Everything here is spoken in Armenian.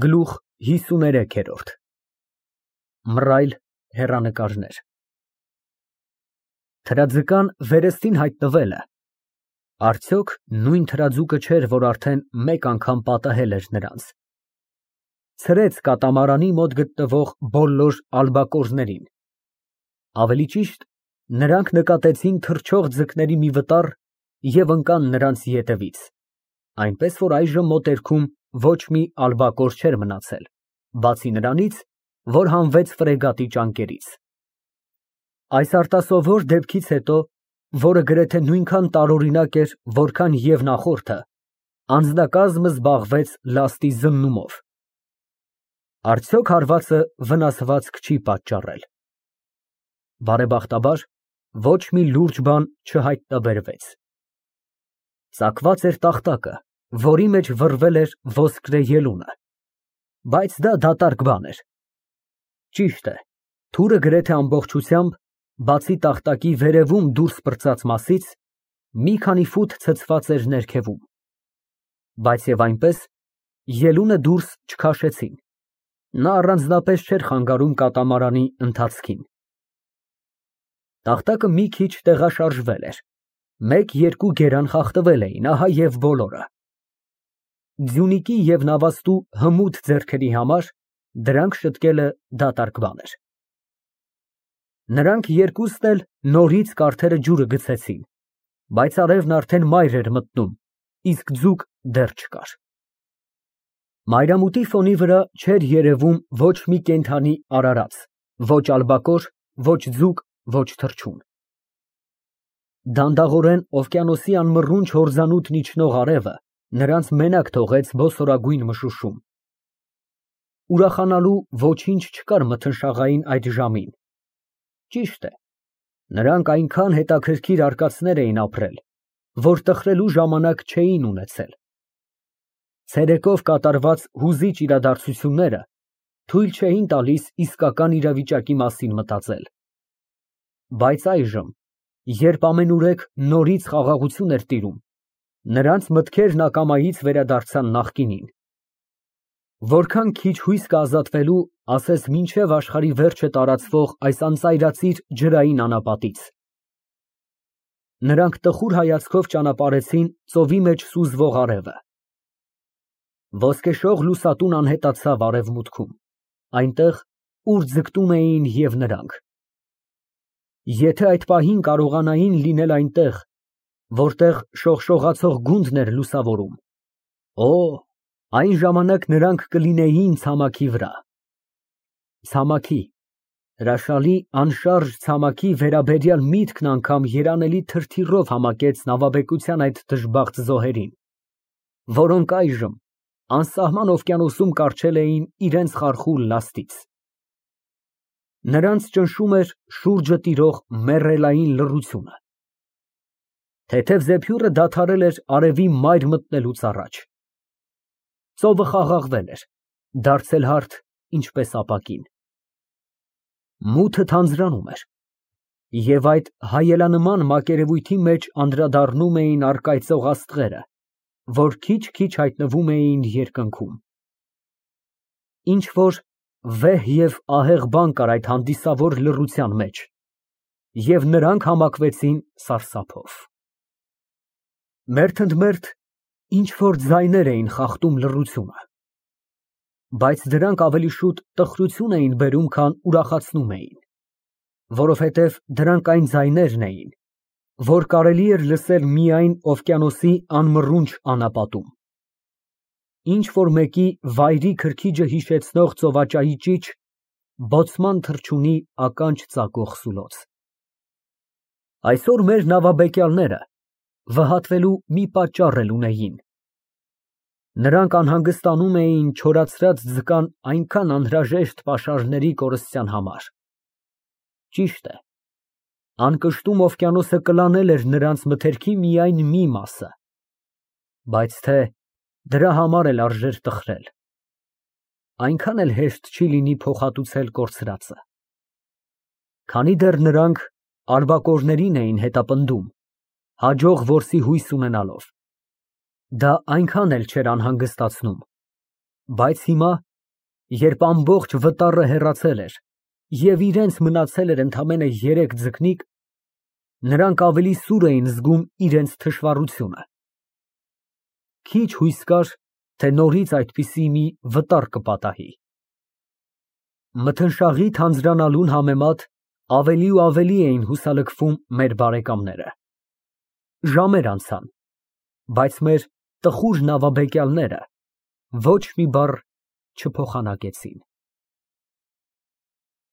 Գլուխ 53 Մռայլ հեռանկարներ Թրաձկան վերստին հայտնվելը արդյոք նույն թրաձուկը չէր, որ արդեն մեկ անգամ պատահել էր նրանց, ցրեց կատամարանի մոտ գտնվող բոլոր ալբակորներին, ավելի ճիշտ, նրանք նկատեցին թռչող ձկների մի վտար և ընկան նրանց ետևից, այնպես որ այժմ մոտերքում ոչ մի ալբակոր չէր մնացել, բացի նրանից, որ հանվեց ֆրեգատի ճանկերից։ Այս արտասովոր դեպքից հետո, որը գրեթե նույնքան տարօրինակ էր, որքան և նախորդը, անձնակազմը զբաղվեց լաստի զննումով։ Արդյոք հարվածը վնասվածք չի պատճառել։ Բարեբախտաբար, ոչ մի լուրջ բան չհայտնաբերվեց։ Ծակված էր տախտակը, որի մեջ վռվել էր ոսկրե ելունը, բայց դա դատարկ բան էր։ Ճիշտ է, թուրը գրեթե ամբողջությամբ, բացի տախտակի վերևում դուրս պրծած մասից, մի քանի ֆուտ ցցված էր ներքևում, բայց և այնպես, ելունը դուրս չքաշեցին, նա առանձնապես չէր խանգարում կատամարանի ընթացքին։ Տախտակը մի քիչ տեղաշարժվել էր, մեկ-երկու գերան խախտվել էին, ահա և բոլորը։ Ձյունիկի և նավաստու հմուտ ձեռքերի համար դրանք շտկելը դատարկ բան էր։ Նրանք երկուսն էլ նորից կարթերը ջուրը գցեցին, բայց արևն արդեն մայր էր մտնում, իսկ ձուկ դեռ չկար։ Մայրամուտի ֆոնի վրա չէր երևում ոչ մի կենդանի արարած, ոչ ալբակոր, ոչ ձուկ, ոչ թռչուն։ Դանդաղորեն օվկիանոսի անմռունչ հորձանուտն իջնող արևը նրանց մենակ թողեց բոսորագույն մշուշում։ Ուրախանալու ոչինչ չկար մթնշաղային այդ ժամին։ Ճիշտ է, նրանք այնքան հետաքրքիր արկածներ էին ապրել, որ տխրելու ժամանակ չէին ունեցել։ Ցերեկով կատարված հուզիչ իրադարձությունները թույլ չէին տալիս իսկական իրավիճակի մասին մտածել։ Բայց այժմ, երբ ամենուրեք նորից խաղաղություն էր տիրում, նրանց մտքերն ակամայից վերադարձան նախկինին։ Որքան քիչ հույս կա ազատվելու, ասես մինչև աշխարհի վերջը տարածվող այս անծայրածիր ջրային անապատից։ Նրանք տխուր հայացքով ճանապարհեցին ծովի մեջ սուզվող արևը։ Ոսկեշող լուսատուն անհետացավ արևմուտքում, այնտեղ, ուր ձգտում էին և նրանք։ Եթե այդ պահին կարողանային լինել այնտեղ, որտեղ շողշողացող գունդն էր լուսավորում, օ, այն ժամանակ նրանք կլինեին ցամաքի վրա։ Ցամաքի, հրաշալի անշարժ ցամաքի վերաբերյալ միտքն անգամ երանելի թրթիռով համակեց նավաբեկության այդ դժբախտ զոհերին, որոնք այժմ անսահման օվկիանոսում կառչել էին իրենց խարխուլ լաստից։ Նրանց ճնշում էր շուրջը տիրող մեռելային լռությունը։ Թեթև զեփյուռը դադարել էր արևի մայր մտնելուց առաջ։ Ծովը խաղաղվել էր, դարձել հարթ, ինչպես ապակին։ Մութը թանձրանում էր, և այդ հայելանման մակերևույթի մեջ անդրադառնում էին առկայծող աստղերը, որ քիչ-քիչ հայտնվում էին երկնքում։ Ինչ֊որ վեհ և ահեղ բան կար այդ հանդիսավոր լռության մեջ, և նրանք համակվեցին սարսափով։ Մերթընդմերթ ինչ֊որ ձայներ էին խախտում լռությունը, բայց դրանք ավելի շուտ տխրություն էին բերում, քան ուրախացնում էին, որովհետև դրանք այն ձայներն էին, որ կարելի էր լսել միայն օվկիանոսի անմռունչ անապատում։ Ինչ֊որ մեկի վայրի քրքիջը հիշեցնող ծովաճայի ճիչ, բոցման թռչունի ականջ ծակող սուլոց։ Այսօր մեր նավաբեկյալները վհատվելու մի պատճառ էլ ունեին։ Նրանք անհանգստանում էին չորացրած ձկան այնքան անհրաժեշտ պաշարների կորստյան համար։ Ճիշտ է, անկշտում օվկիանոսը կլանել էր նրանց մթերքի միայն մի մասը, բայց թե դրա համար էլ արժեր տխրել։ Այնքան էլ հեշտ չի լինի փոխհատուցել կորցրածը։ Քանի դեռ նրանք ալբակորներին էին հետապնդում, հաջող որսի հույս ունենալով, դա այնքան էլ չէր անհանգստացնում, բայց հիմա Երբ ամբողջ վտարը հեռացել էր և իրենց մնացել էր ընդամենը 3 ձկնիկ, նրանք ավելի սուր էին զգում իրենց թշվառությունը։ Քիչ հույս կար, թե նորից այդպիսի մի վտար կպատահի։ Մթնշաղի թանձրանալուն համեմատ ավելի ու ավելի էին հուսալքվում մեր բարեկամները։ Ժամեր անցան, բայց մեր տխուր նավաբեկյալները ոչ մի բառ չփոխանակեցին։